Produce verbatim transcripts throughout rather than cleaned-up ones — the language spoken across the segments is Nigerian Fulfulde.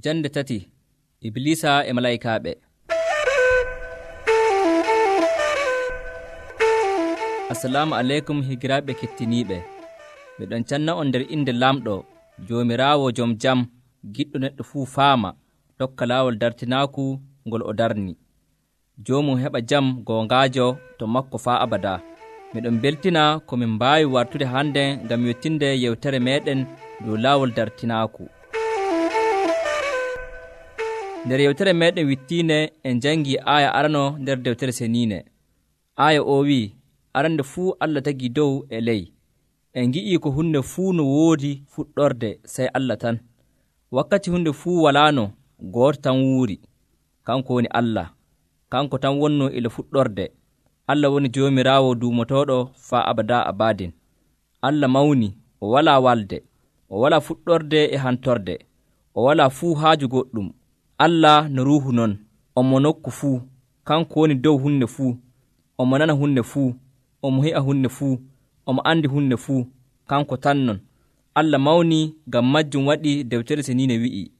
Jande tati Iblisa e malaykaaɓe. Assalamu aleykum higiraaɓe kettiniiɓe. Miɗon canna on nder inde Lamɗo, Joomiraawo jom jam, giɗɗo neɗɗo fuu faama, tokka laawol dartinaaku ngol o darni. Joomum heɓa jam goongaajo to makko faa abadaa. Miɗon beltina ko min mbaawi wartude hannde ngam yettinde yewtere meeɗen dow laawol dartinaaku. Nder yewtere meeɗen wittiinde en jangii aaya arano nder deftere seniine. Aaya o wii, arande fuu Allah tagii dow e ley. En ngi'ii ko hunde fuu no woodi fuɗɗorde sey Allah tan. Wakkati hunde fuu walaano, gooto tan wuuri, kanko woni Allah. Kanko tan wonnoo ila fuɗɗorde. Allah woni Joomiraawo duumotooɗo faa abadaa abadin. Allah mawni, o walaa walde, o walaa fuɗɗorde e hantorde, o walaa fuu haaju goɗɗum. Allah no ruuhu non, omo nokku fuu, kanko woni dow hunde fuu, omo nana hunde fuu, omo hi'a hunde fuu, omo andi hunde fuu, kanko tan non. Allah mawni, ngam majjum waɗi deftere seniine wi'i,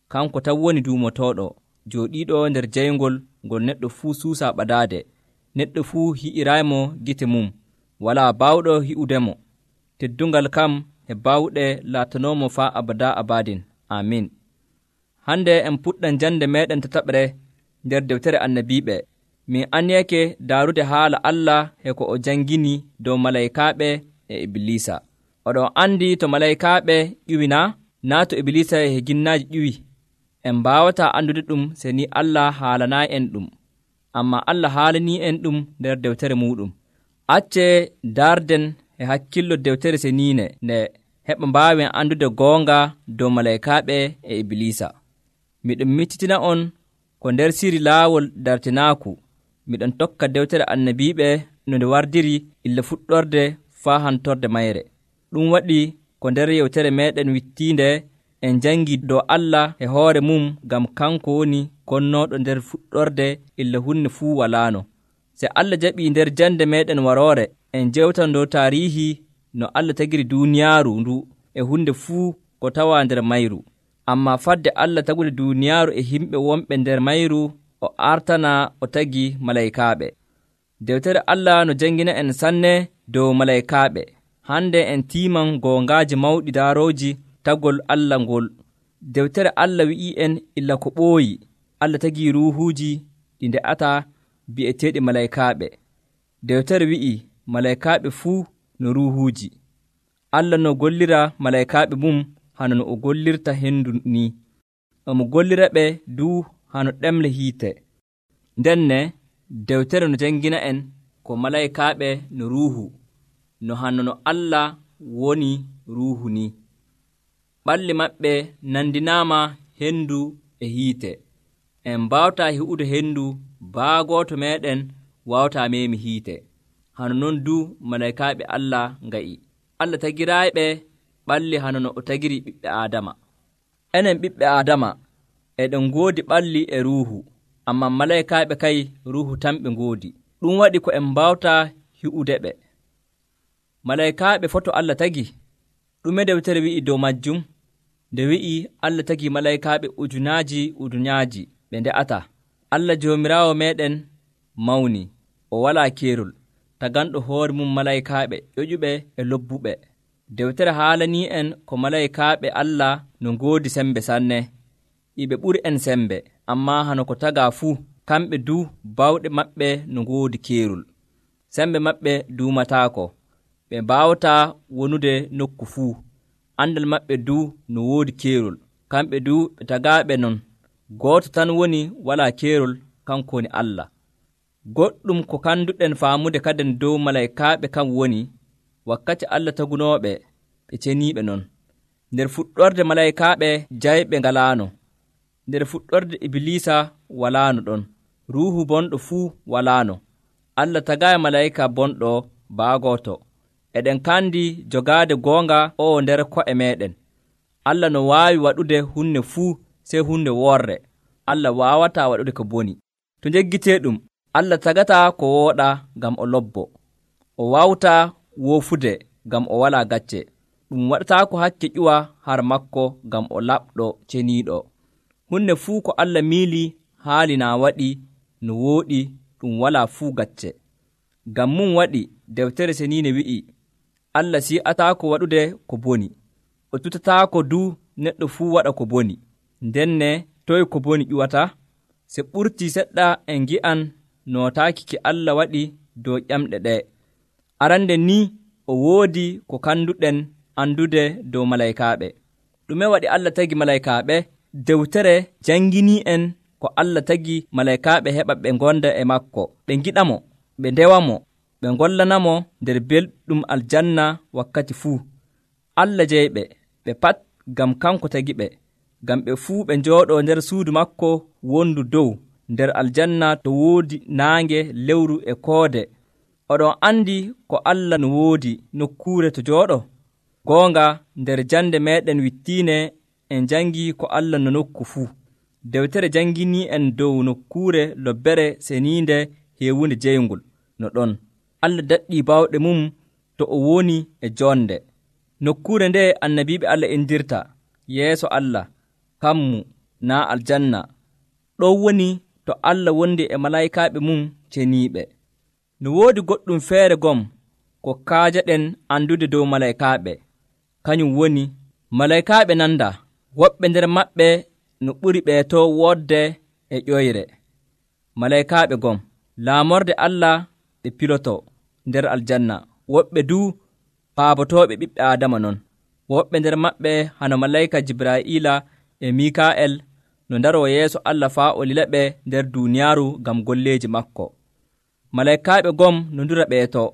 kanko tan woni duumotooɗo, jooɗiiɗo nder jayngol ngol neɗɗo fuu suusaa ɓadaade. Neɗɗo fuu hi'iraaymo gite mum, walaa baawɗo hi'udemo. Teddungal kam e baawɗe laatanoomo faa abadaa abadin. Amin. Hande en puɗɗan jande meeɗen tataɓre nder deftere annabiiɓe. Min anyeke daarude haala Allah e ko o jangini dow malaykaaɓe e Iblisa. Oɗon andi to malaykaaɓe ƴuwi naa? Naa to Iblisa e ginnaaji ƴuwi. En mbaawataa andude ɗum se ni Allah haalanaayi en ɗum. Amma Allah haalanii en ɗum nder deftere muɗum. Accee daarden e hakkillo deftere seniine nde heɓa mbaawen andude goonga dow malaykaaɓe e Iblisa. Miɗon miccitina on ko nder siri laawol dartinaaku. Miɗon tokka deftere annabiiɓe no nde wardiri illa fuɗɗorde faa hantorde mayre. Ɗum waɗi ko nder yewtere meeɗen wittiinde en jangi dow Allah e hoore mum ngam kanko woni konnooɗo nder fuɗɗorde illa hunde fuu walaano. Se Allah jaɓii nder jande meeɗen waroore en jewtan dow taariihi no Allah tagiri duuniyaaru ndu e hunde fuu ko tawaa nder mayru. Amma fadde Allah tagude duuniyaaru e himɓe wonɓe nder mayru, o artana o tagi malaykaaɓe. Deftere Allah no jangina en sanne dow malaykaaɓe. Hande en tiiman goongaaji mawɗi daarooji tagol Allah ngol. Deftere Allah wi'ii en illa ko ɓooyi. Allah tagii ruuhuuji ɗi nde'ataa bi'eteeɗi malaykaaɓe. Deftere wi'ii malaykaaɓe fuu no ruuhuuji. Allah no gollira malaykaaɓe mum hano no o gollirta hendu ni. Omo gollira ɓe duu hano ɗemle hiite. Ndenne deftere no jangina en ko malaykaaɓe no ruuhu, no hano no Allah woni ruuhu ni. Ɓalli maɓɓe nandinaama hendu e hiite. En mbaawataa hi'ude hendu, baagooto meeɗen waawataa meemi hiite. Hano non du malaykaaɓe Allah nga'i. Allah tagiraaɓe ɓalli hano no o tagiri ɓiɓɓe Aadama. Enen ɓiɓɓe Aadama eɗen ngoodi ɓalli e ruuhu, amma malaykaaɓe kay ruuhu tan ɓe ngoodi. Ɗum waɗi ko en mbawtaa hi'ude ɓe. Malaykaaɓe foto Allah tagi, ɗume deftere wi'i dow majjum? Nde wi'i Allah tagi malaykaaɓe ujunaaji ujunaaji ɓe nde'ata. Allah Joomiraawo meeɗen mawni, o walaa keerol, taganɗo hoore mum malaykaaɓe ƴoƴuɓe e lobbuɓe. Deftere haalanii en ko malaykaaɓe Allah no ngoodi sembe sanne. Iɓe ɓuri en sembe, ammaa hano ko tagaa fuu, kamɓe du bawɗe maɓɓe no ngoodi keerol. Sembe maɓɓe duumataako, ɓe mbaawataa wonude nokku fuu. Andal maɓɓe du no woodi keerol, kamɓe du ɓe tagaaɓe non. Gooto tan woni walaa keerol, kanko woni Allah. Goɗɗum ko kanduɗen faamude kaden dow malaykaaɓe kam woni, wakkati Allah tagunooɓe, ɓe ceniiɓe non. Nder fuɗɗorde malaykaaɓe jayɓe ngalaano. Nder fuɗɗorde Iblisa walaano ɗon. Ruuhu bonɗo fuu walaano. Allah tagaaya malayka bonɗo baagooto. Eɗen kandi jogaade goonga o nder ko'e meeɗen. Allah no waawi waɗude hunde fuu sey hunde worre. Allah waawataa waɗude ko boni. To njeggitee ɗum, Allah tagataa ko wooɗa ngam o lobbo. O waawtaa woofude ngam o walaa gacce. Ɗum waɗataako hakke ƴuwa har makko ngam o laɓɗo ceniiɗo. hunde fuu ko Allah miili haali naa waɗi no wooɗi ɗum walaa fuu gacce. Ngam mum waɗi deftere seniine wi'i, Allah si'ataako waɗude ko boni, o tutataako du neɗɗo fuu waɗa ko boni. Ndenne toye ko boni ƴuwata? Se ɓurtii seɗɗa en ngi'an nootaaki ki Allah waɗi dow ƴamɗe ɗee. Arande ni o woodi ko kanduɗen andude dow malaykaaɓe. Ɗume waɗi Allah tagi malaykaaɓe? Dewtere janginii'en ko Allah tagi malaykaaɓe heɓa ɓe ngonda e makko, ɓe ngiɗamo, ɓe ndewamo, ɓe ngollanamo nder belɗum aljanna wakkati fuu. Allah jeyɓe ɓe pat ngam kanko tagiɓe, ngam ɓe fuu ɓe njooɗoo nder suudu makko wondu dow nder aljanna to woodi naange, lewru e koode. Oɗon andi ko Allah no woodi nokkuure to jooɗo? Goonga nder jande meɗen wittiine en jangi ko Allah no nokku fuu. Dewtere jangini en dow nokkuure lobbere seniinde heewunde jeyngol no ɗon. Allah daɗɗii bawɗe mum to o woni e jonde. Nokkuure nde annabiiɓe Allah indirta yeeso Allah, kammu naa aljanna. Ɗon woni to Allah wondi e malaykaaɓe mum ceniiɓe. No woodi goɗɗum feere gom ko kaajaɗen andude dow malaykaaɓe, kañum woni malaykaaɓe nanda, woɓɓe nder maɓɓe no ɓuri ɓee to woodde e ƴoyre. Malaykaaɓe gom laamorde Allah ɓe piloto nder aljanna, woɓɓe du paabotooɓe ɓiɓɓe Aadama non. Woɓɓe nder maɓɓe hano malayka Jibraa'ila e Mikaa'el no ndaroo yeeso Allah faa o lilaɓe nder duuniyaaru ngam golleeji makko. Malaykaaɓe gom no ndura ɓeeto,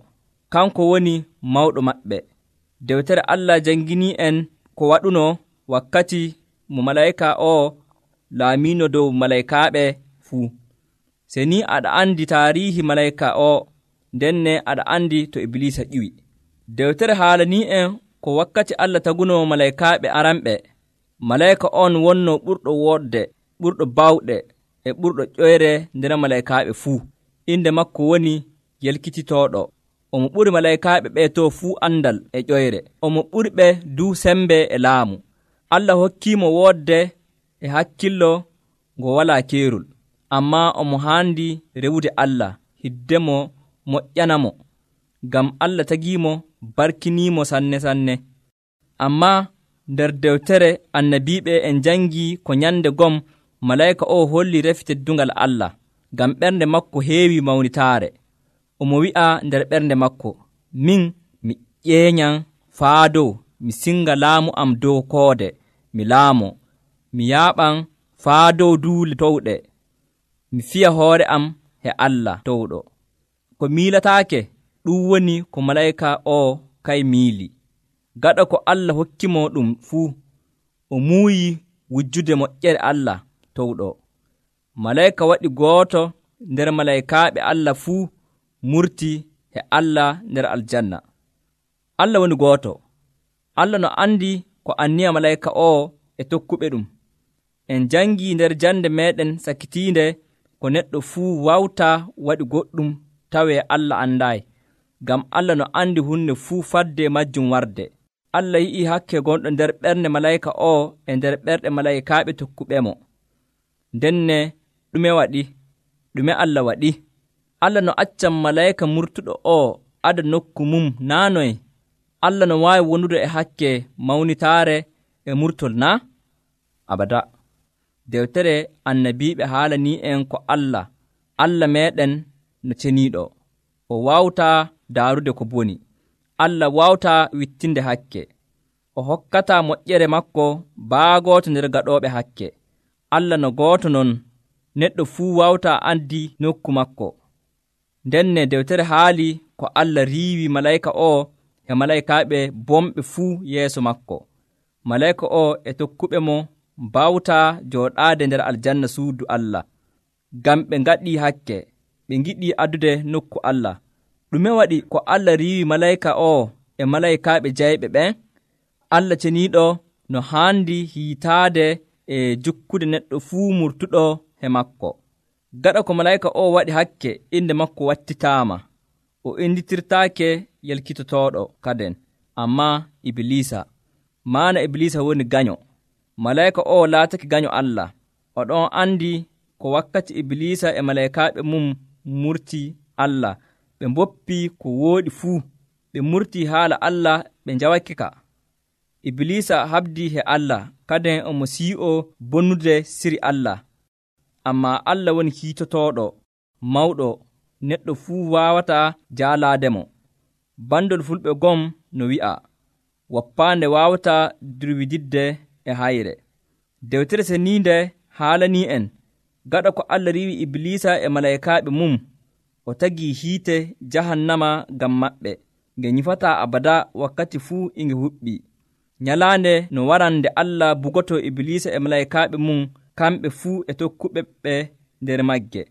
kanko woni mawɗo maɓɓe. Dewtere Allah janginii en ko waɗuno wakkati mo malayka o laamiino dow malaykaaɓe fuu. Se ni aɗa andi taariihi malayka o, ndenne aɗa andi to Iblisa ƴiwi. Dewtere haalanii en ko wakkati Allah taguno malaykaaɓe aranɓe. Malayka on wonno ɓurɗo woodde, ɓurɗo bawɗe e ɓurɗo ƴoyre nder malaykaaɓe fuu. Inde makko woni yelkititooɗo. Omo ɓuri malaykaaɓe ɓee to fuu andal e ƴoyre. Omo ɓuri ɓe du sembe e laamu. Allah hokkiimo woodde e hakkillo ngo walaa keerol, ammaa omo haandi rewude Allah hiddemo moƴƴanamo, ngam Allah tagiimo barkiniimo sanne sanne. Ammaa nder dewtere annabiiɓe en jangii ko nyande gom malayka o holli refi teddungal Allah, ngam ɓernde makko heewi mawnitaare. Omo wi'a nder ɓernde makko, min mi ƴeeñan faa dow, mi singa laamu am dow koode, mi laamo, mi yaaɓan faa dow duule towɗe, mi fiya hoore am he Allah towɗo. Ko miilataake ɗum woni ko malayka o kay miili. Gaɗa ko Allah hokkimo ɗum fuu, o muuyi wujjude moƴƴere Allah towɗo. Malayka waɗi gooto nder malaykaaɓe Allah fuu murti he Allah nder aljanna. Allah woni gooto. Allah no andi ko anniya malayka o e tokkuɓe ɗum. En jangi nder jande meɗen sakitiinde ko neɗɗo fuu wawta waɗi goɗɗum tawee Allah andaayi, ngam Allah no andi hunde fuu fadde majjum warde. Allah yi'i hakke gonɗo nder ɓernde malayka o e nder ɓerɗe malaykaaɓe tokkuɓemo. Ndenne ɗume waɗi? Ɗume Allah waɗi? Allah no accan malayka murtuɗo o ada nokku mum naanoy. Allah no waawi wonude e hakke mawnitaare e murtol na? Abada. Dewtere annabiiɓe haalanii en ko Allah, Allah meɗen no ceniiɗo. O waawtaa daarude ko boni. Allah waawtaa wittinde hakke. O hokkataa moƴƴere makko baagooto nder gaɗooɓe hakke. Allah no gooto non, neɗɗo fuu waawtaa andi nokku makko. Ndenne dewtere haali ko Allah riiwi malayka o e malaykaaɓe bomɓe fuu yeeso makko. Malayka o e tokkuɓe mo mbawtaa jooɗaade nder aljanna suudu Allah, ngam ɓe ngaɗii hakke, ɓe ngiɗii addude nokku Allah. Ɗume waɗi ko Allah riiwi malayka o e malaykaaɓe jayɓe ɓen? Allah ceniiɗo no haandi hiitaade e jukkude neɗɗo fuu murtuɗo he makko. Gaɗa ko malayka o waɗi hakke, inde makko wattitaama. O inditirtaake yelkitotooɗo kaden, ammaa Iblisa. Maana Iblisa woni ganyo. Malayka o laatake ganyo Allah. oɗon andi ko wakkati Iblisa e malaykaaɓe mum murti Allah ɓe mboppi ko wooɗi fuu, ɓe murti haala Allah ɓe njawake-ka. Iblisa habdi he Allah kaden omo sii'o bonnude siri Allah. Ammaa Allah woni kiitotooɗo mawɗo neɗɗo fuu waawataa jaalaademo. Bandol fulɓe gom no wi'a, woppaande waawataa durwididde e hayre. Dewtere Seniinde haalanii en gaɗa ko Allah riiwi Iblisa e malaykaaɓe mum, o tagii hiite jahannama ngam maɓɓe, nge nyifataa abada wakkati fuu e nge huɓɓii. Nyalaande no waran nde Allah bugotoo Iblisa e malaykaaɓe mum kamɓe fuu e tokkuɓe ɓe nder magge.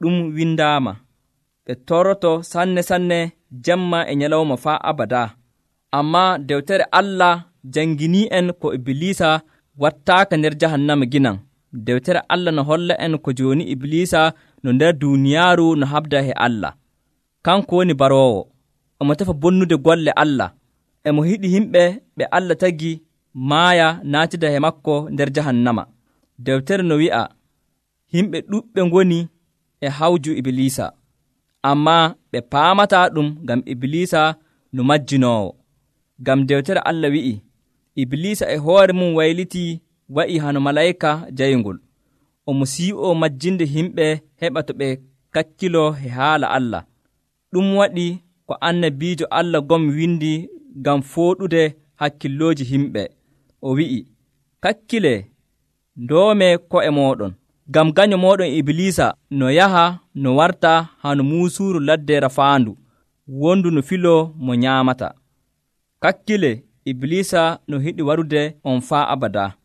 Ɗum windaama, ɓe toroto sanne sanne jemma e nyalawma faa abada. Ammaa dewtere Allah janginii en ko Iblisa wattaaka nder jahannama ginan. Dewtere Allah no holla en ko jooni Iblisa no nder duuniyaaru no habda he Allah. Kanko woni baroowo, omo tefa bonnude golle Allah. Emo hiɗi himɓe ɓe Allah tagi maaya naatida he makko nder jahannama. Dewtere no wi'a, himɓe ɗuɓɓe ngoni e hawju Iblisa, ammaa ɓe paamataa ɗum ngam Iblisa no majjinoowo. Ngam dewtere Allah wi'i, Iblisa e hoore mum waylitii wa'i hano malayka jayngol. Omo sii'o majjinde himɓe heɓa to ɓe kakkiloo he haala Allah. Ɗum waɗi ko annabiijo Allah gom windi ngam fooɗude hakkillooji himɓe. O wi'i, kakkilee, ndoome ko'e mooɗon, ngam ganyo mooɗon Iblisa no yaha no warta hano muusuuru ladde rafaandu, wondu no filoo mo nyaamata. Kakkilee, Iblisa no hiɗi warude on faa abada.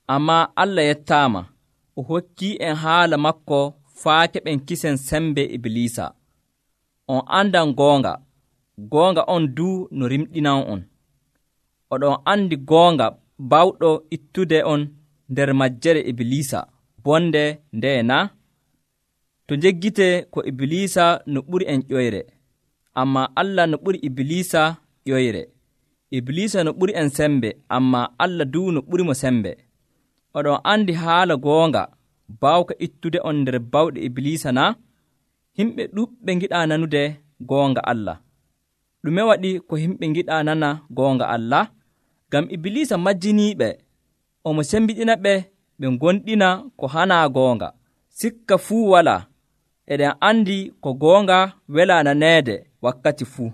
Ammaa Allah yettaama, o hokkii en haala makko faa keɓen kisen sembe Iblisa. On andan goonga, goonga on duu no rimɗinan on. Oɗon andi goonga bawɗo ittude on nder majjere Iblisa, bonde ndee na? To njeggite ko Iblisa no ɓuri en ƴoyre, ammaa Allah no ɓuri Iblisa ƴoyre. Iblisa no ɓuri en sembe, ammaa Allah duu no ɓuri mo sembe. Oɗon andi haala goonga baawka ittude on nder bawɗe Iblisa na? Himɓe ɗuɓɓe ngiɗaa nanude goonga Allah. Ɗume waɗi ko himɓe ngiɗaa nana goonga Allah? Ngam Iblisa majjiniiɓe, omo sembiɗina ɓe ɓe gonɗina ko hanaa goonga. Sikka fuu walaa, eɗen andi ko goonga welaa naneede wakkati fuu.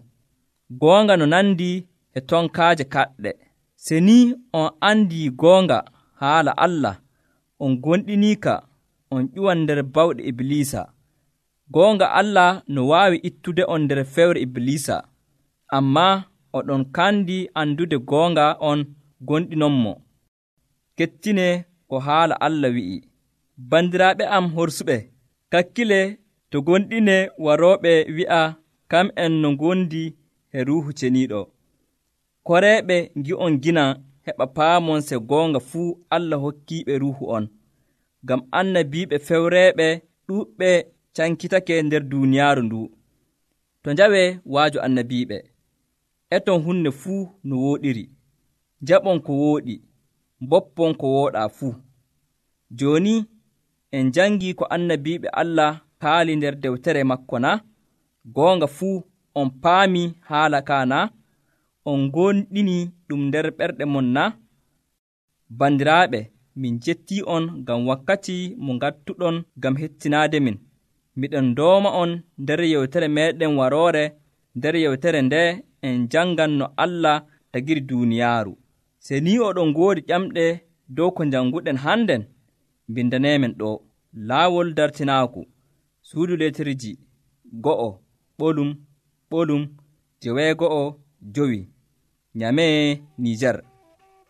Goonga no nandi e tonkaaje kaɗɗe. Se ni on andii goonga haala Allah, on gonɗiniika, on ƴuwan nder bawɗe Iblisa. Goonga Allah no waawi ittude on nder fewre Iblisa, ammaa oɗon kandi andude goonga on gonɗinonmo. Kettine ko haala Allah wi'i, bandiraaɓe am horsuɓe, kakkile to gonɗine warooɓe wi'a kam en no gondi e Ruuhu Ceniiɗo. Koreeɓe ngi'on gina heɓa paamon se goonga fuu Allah hokkiiɓe Ruuhu on, ngam annabiiɓe fewreeɓe ɗuuɓɓe cankitake nder duuniyaaru ndu. To njawee waaju annabiiɓe, eton hunde fuu no wooɗiri, jaɓon ko wooɗi, mboppon ko wooɗaa fuu. Jooni en jangii ko annabiiɓe Allah kaali nder dewtere makko na? Goonga fuu on paami haala kaa na? On gonɗini ɗum nder ɓerɗe mon na? Bandiraaɓe, min jettii on ngam wakkati mo ngattuɗon ngam hettinaade min. Miɗen dooma on nder yewtere meeɗen waroore. Nder yewtere nde en jangan no Allah tagiri duuniyaaru. Se ni oɗon ngoodi ƴamɗe dow ko janguɗen hannden, bindaneemen ɗo laawol dartinaaku, suudu leterji go'o ɓolum ɓolum jeweego'o jowi, Nyamee, Nijar.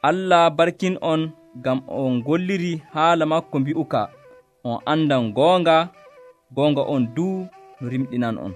Allah barkin on ngam on golliri haala makko mbi'uka on andan goonga, goonga on duu no rimɗinan on.